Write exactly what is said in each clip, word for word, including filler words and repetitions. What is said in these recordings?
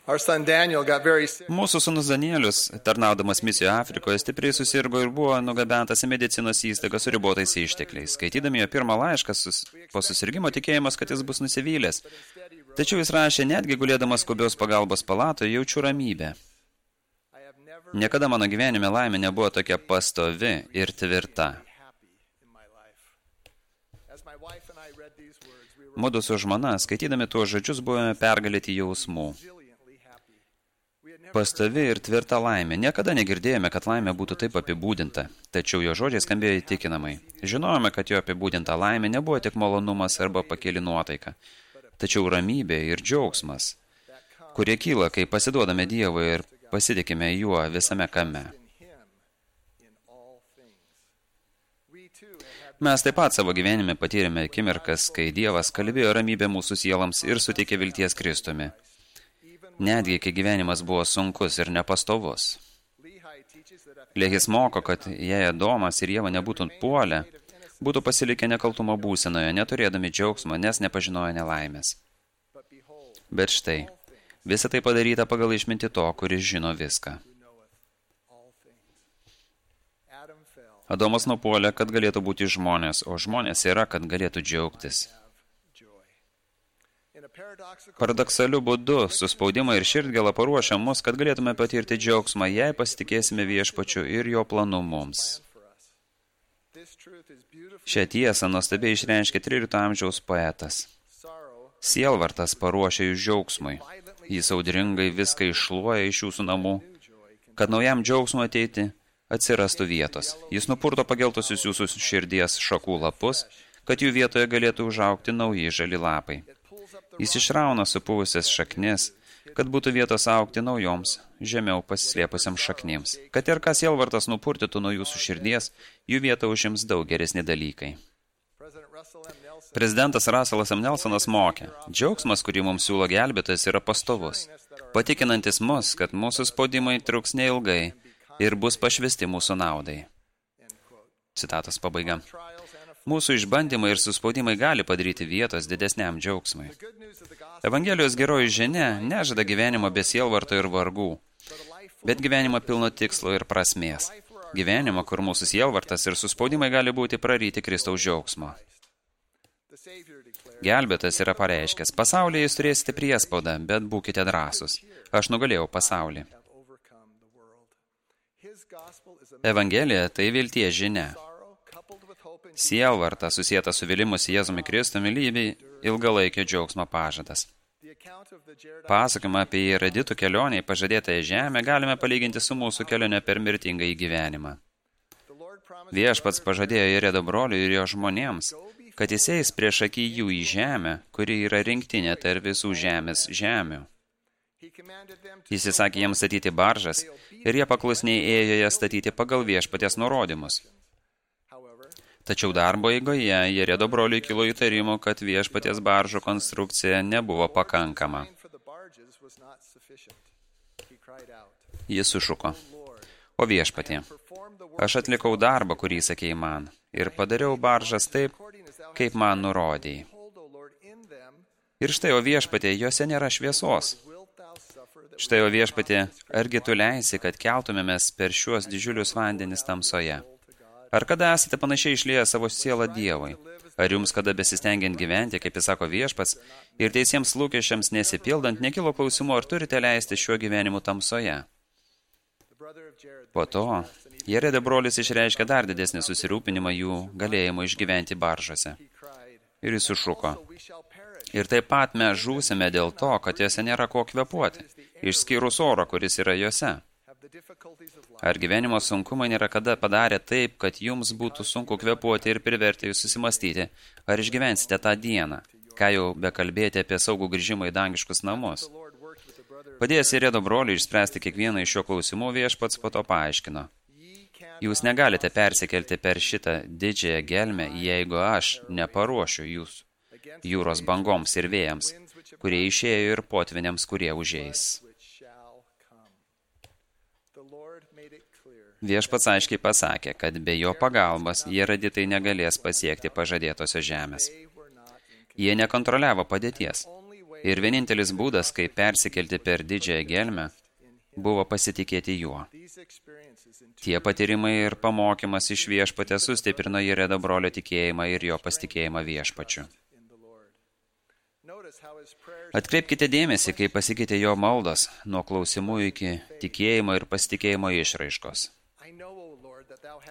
Our son Daniel got very sick. Mūsų sūnus Danielius, tarnaudamas misijoje Afrikoje, stipriai susirgo ir buvo nugabentas į medicinos įstaigą su ribotais ištekliais. Skaitydami jo pirmą laišką sus... po susirgimo tikėjimas, kad jis bus nusivylęs. Tačiau jis rašė, netgi gulėdamas skubios pagalbos palatoje, jaučiu ramybę. Niekada mano gyvenime laimė nebuvo tokia pastovi ir tvirta. Mudu su žmona, skaitydami tuos žodžius, buvome pergalėti jausmų. Pastovi ir tvirta laimė. Niekada negirdėjome, kad laimė būtų taip apibūdinta, tačiau jo žodžiai skambėjo įtikinamai. Žinojome, kad jo apibūdinta laimė nebuvo tik malonumas arba pakeli nuotaika, tačiau ramybė ir džiaugsmas, kurie kyla, kai pasiduodame Dievui ir pasitikime juo visame kame. Mes taip pat savo gyvenime patyrėme akimirkas, kai Dievas kalbėjo ramybę mūsų sielams ir suteikė vilties Kristumi. Netgi, kai gyvenimas buvo sunkus ir nepastovus. Lehis moko, kad jei Adomas ir Ieva nebūtų puolę, būtų pasilikę nekaltumo būsenoje, neturėdami džiaugsmo, nes nepažinojo nelaimės. Bet štai, visa tai padaryta pagal išmintį to, kuris žino viską. Adomas nupuolė, kad galėtų būti žmonės, o žmonės yra, kad galėtų džiaugtis. Paradoksaliu būdu, suspaudimą ir širdgėlą paruošia mus, kad galėtume patirti džiaugsmą, jei pasitikėsime viešpačiu ir jo planu mums. Šią tiesą nuostabiai išreiškė trylikto amžiaus poetas. Sielvartas paruošia jūs džiaugsmui. Jis audringai viską iššluoja iš jūsų namų, kad naujam džiaugsmui ateiti atsirastų vietos. Jis nupurto pageltusius jūsų širdies šakų lapus, kad jų vietoje galėtų užaugti nauji žali lapai. Jis išrauna supuvusias šaknis, kad būtų vietos augti naujoms, žemiau pasislėpusiams šaknims. Kad ir kas sielvartas nupurtytų nuo jūsų širdies, jų vietą užims daug geresni dalykai. Prezidentas Russellas M. Nelsonas mokė, džiaugsmas, kurį mums siūlo gelbėtojas, yra pastovus, patikinantis mus, kad mūsų spaudimai truks neilgai ir bus pašvesti mūsų naudai. Citatos pabaiga. Mūsų išbandymai ir suspaudimai gali padaryti vietos didesniam džiaugsmui. Evangelijos geroji žinia nežada gyvenimo be sielvarto ir vargų, bet gyvenimo pilno tikslo ir prasmės. Gyvenimo, kur mūsų sielvartas ir suspaudimai gali būti praryti Kristaus džiaugsmo. Gelbėtas yra pareiškęs, pasaulyje jūs turėsite priespaudą, bet būkite drąsūs. Aš nugalėjau pasaulį. Evangelija tai vilties žinia. Sielvarta susieta su vilimus Jėzumi Kristumi lyvi ilgalaikio džiaugsmo pažadas. Pasakymą apie Jeraditų kelionę į pažadėtąją žemę galime palyginti su mūsų kelionė per mirtingą į gyvenimą. Viešpats pažadėjo Jeredo broliui ir jo žmonėms, kad jis eis prieš akį jų į žemę, kuri yra rinktinė tarp visų žemės žemių. Jis įsakė jiems statyti baržas ir jie paklusniai ėjo jas statyti pagal viešpaties nurodymus. Tačiau darbo eigoje Jeredo broliui kilo įtarimų, kad viešpaties baržų konstrukcija nebuvo pakankama. Jis sušuko, o viešpatie, aš atlikau darbą, kurį sakei man, ir padariau baržas taip, kaip man nurodėjai. Ir štai, o viešpatie, jose nėra šviesos. Štai, o viešpatie, argi tu leisi, kad keltumėmės per šiuos didžiulius vandenis tamsoje? Ar kada esate panašiai išlieję savo sielą Dievui? Ar jums kada besistengiant gyventi, kaip jis sako viešpats, ir teisiems lūkesčiams nesipildant, nekilo klausimų, ar turite leisti šiuo gyvenimu tamsoje? Po to, Jeredo brolis išreiškė dar didesnį susirūpinimą jų galėjimo išgyventi baržose. Ir jis sušuko. Ir taip pat mes žūsime dėl to, kad jose nėra ko kvėpuoti, išskyrus oro, kuris yra jose. Ar gyvenimo sunkumai nėra kada padarę taip, kad jums būtų sunku kvėpuoti ir priverti jūs susimastyti, ar išgyvensite tą dieną, ką jau bekalbėti apie saugų grįžimą į dangiškus namus? Padėjęs Jeredo broliui išspręsti kiekvieną iš šio klausimų, viešpats po to paaiškino. Jūs negalite persikelti per šitą didžiąją gelmę, jeigu aš neparuošiu jūs jūros bangoms ir vėjams, kurie išėjo ir potviniams, kurie užeis. Viešpats aiškiai pasakė, kad be jo pagalbos Jeraditai negalės pasiekti pažadėtosios žemės. Jie nekontroliavo padėties. Ir vienintelis būdas, kaip persikelti per didžiąją gelmę, buvo pasitikėti juo. Tie patyrimai ir pamokymas iš viešpatės sustiprino Jeredo brolio tikėjimą ir jo pasitikėjimą viešpačiu. Atkreipkite dėmesį, kaip pasikeitė jo maldos nuo klausimų iki tikėjimo ir pasitikėjimo išraiškos.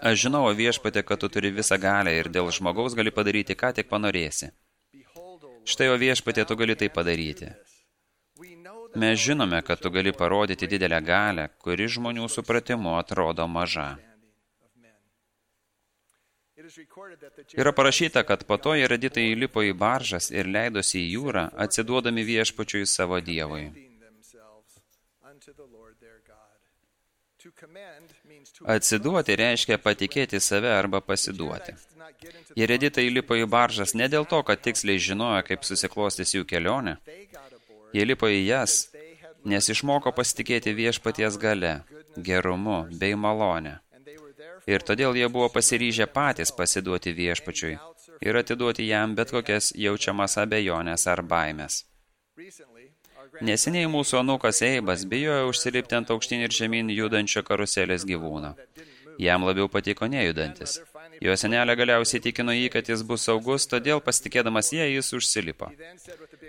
Aš žinau, viešpatė, kad tu turi visą galią ir dėl žmogaus gali padaryti, ką tik panorėsi. Štai, o viešpatė, tu gali tai padaryti. Mes žinome, kad tu gali parodyti didelę galią, kuri žmonių supratimu atrodo maža. Yra parašyta, kad po to Jereditai įlipo į baržas ir leidosi į jūrą, atsiduodami viešpačiui savo Dievui. Atsiduoti reiškia patikėti save arba pasiduoti. Jereditai įlipo į baržas ne dėl to, kad tiksliai žinojo, kaip susiklostys jų kelionė. Jie lipo į jas, nes išmoko pasitikėti viešpaties gale, gerumu bei malonę. Ir todėl jie buvo pasiryžę patys pasiduoti viešpačiui ir atiduoti jam bet kokias jaučiamas abejonės ar baimės. Neseniai mūsų anūkas Eibas bijojo užsilipti ant aukštyn ir žemyn judančio karuselės gyvūno. Jam labiau patiko nejudantis. Jo senelė galiausiai tikino jį, kad jis bus saugus, todėl pasitikėdamas jie jis užsilipo.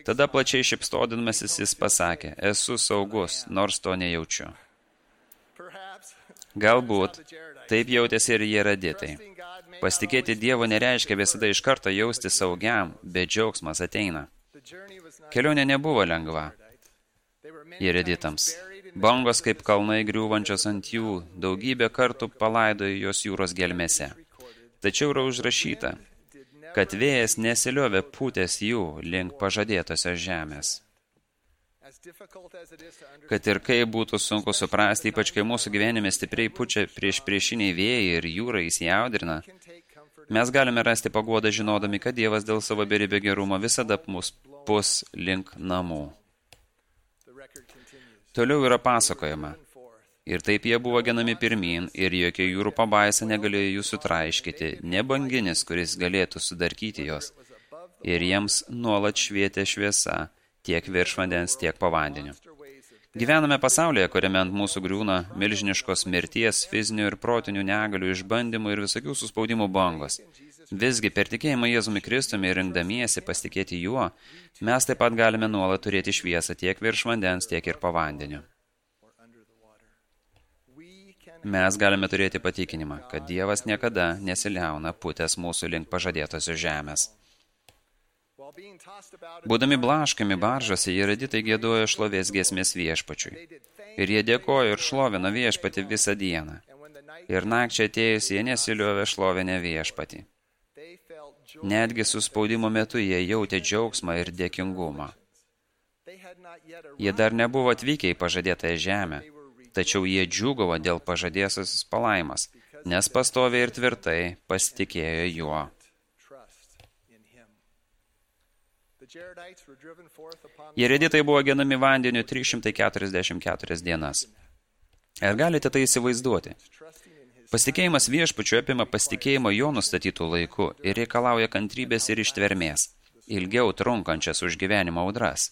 Tada plačiai šypsodamasis jis pasakė, esu saugus, nors to nejaučiu. Galbūt taip jautėsi ir Jereditai. Pasitikėti Dievu nereiškia visada iš karto jausti saugiam, bet džiaugsmas ateina. Kelionė nebuvo lengva Jereditams. Bangos kaip kalnai griūvančios ant jų, daugybę kartų palaidojo jos jūros gelmėse. Tačiau yra užrašyta, kad vėjas nesiliovė pūtęs jų link pažadėtosios žemės. Kad ir kaip būtų sunku suprasti, ypač kai mūsų gyvenime stipriai pučia prieš priešiniai vėjai ir jūra įsijaudrina, mes galime rasti paguodą žinodami, kad Dievas dėl savo beribio gerumo visada mus pus link namų. Toliau yra pasakojama. Ir taip jie buvo genami pirmyn, ir jokia jūrų pabaisa negalėjo jų sutraiškyti, ne banginis, kuris galėtų sudarkyti jos. Ir jiems nuolat švietė šviesa, tiek virš vandens, tiek po vandeniu. Gyvename pasaulyje, kuriame ant mūsų griūna milžiniškos mirties, fizinių ir protinių negalių, išbandymų ir visokių suspaudimų bangos. Visgi per tikėjimą Jėzumi Kristumi ir rinkdamiesi pasitikėti juo, mes taip pat galime nuolat turėti šviesą tiek virš vandens, tiek ir po vandeniu. Mes galime turėti patikinimą, kad Dievas niekada nesiliauna pūtęs mūsų link pažadėtosios žemės. Būdami blaškami baržose, Jereditai giedojo šlovės giesmės viešpačiui. Ir jie dėkojo ir šlovino viešpatį visą dieną. Ir nakčiai atėjus jie nesiliovė šlovinę viešpatį. Netgi suspaudimo metu jie jautė džiaugsmą ir dėkingumą. Jie dar nebuvo atvykę į pažadėtąją žemę, tačiau jie džiūgavo dėl pažadėsios palaimas, nes pastoviai ir tvirtai pasitikėjo juo. Jereditai buvo genami vandeniu trys šimtai keturiasdešimt keturias dienas. Ar galite tai įsivaizduoti? Pasitikėjimas viešpačiu apima pasitikėjimo jo nustatytų laiku ir reikalauja kantrybės ir ištvermės, ilgiau trunkančias už gyvenimo audras.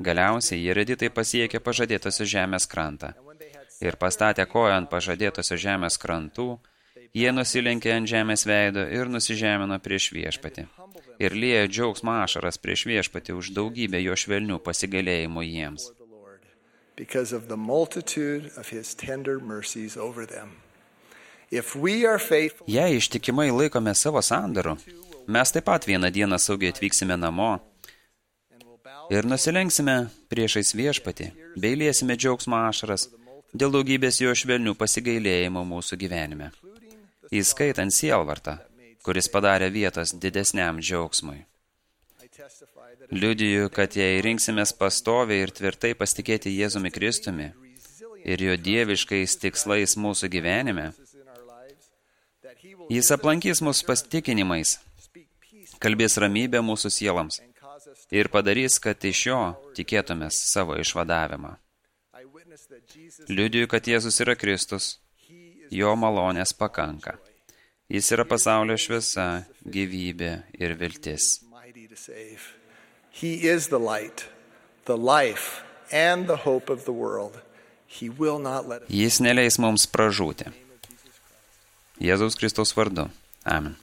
Galiausiai Jereditai pasiekė pažadėtosios žemės krantą ir pastatę koją ant pažadėtosios žemės krantų, jie nusilenkė ant žemės veido ir nusižemino prieš viešpatį ir liejo džiaugsmo ašaras prieš viešpatį už daugybę jo švelnių pasigailėjimų jiems. Because of the multitude of his tender mercies over them. If we are faithful, Jei ištikimai laikome savo sandarų, mes taip pat vieną dieną saugiai atvyksime namo ir nusilenksime priešais viešpatį, bei liesime džiaugsmo ašaras dėl daugybės jo švelnių pasigailėjimų mūsų gyvenime, įskaitant sielvartą, kuris padarė vietos didesniam džiaugsmui. Liudiju, kad jei rinksimės pastoviai ir tvirtai pasitikėti Jėzumi Kristumi ir jo dieviškais tikslais mūsų gyvenime, jis aplankys mus pasitikinimais, kalbės ramybę mūsų sielams ir padarys, kad iš jo tikėtumės savo išvadavimą. Liudiju, kad Jėzus yra Kristus, jo malonės pakanka. Jis yra pasaulio šviesa, gyvybė ir viltis. He is the light, the life, and the hope of the world. He will not let us. Jis neleis mums pražūti. Jėzaus Kristaus vardu. Amen.